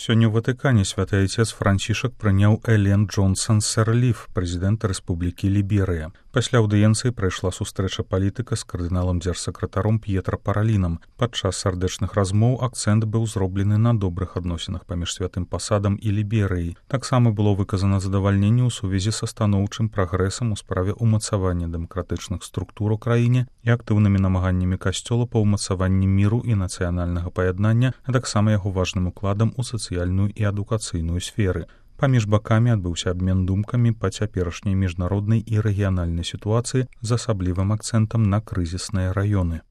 Сёння ў Ватыкане святы айцец Францішак прыняў Элен Джонсон Сэрліф, прэзідэнта Рэспублікі Ліберыя. Пасля аўдыенцыі прайшла сустрэча палітыка з кардыналам дзяржсакратаром П'етра Паралінам. Падчас сардэчных размоў акцэнт быў зроблены на добрых адносінах паміж святым пасадам і Ліберыяй. Таксама было выказана задавальненне ў сувязі са станоўчым прагрэсам у справе ўмацавання дэмакратычных структур у краіне і актыўнымі намаганнямі касцёла па ўмацаванні міру і нацыянальнага паяднання, а таксама яго важным укладам у сацыяльную і адукацыйную сферы. Паміж бакамі адбыўся абмен думкамі па цяперашняй міжнароднай і рэгіянальнай сітуацыі з асаблівым акцэнтам на крызісныя раёны.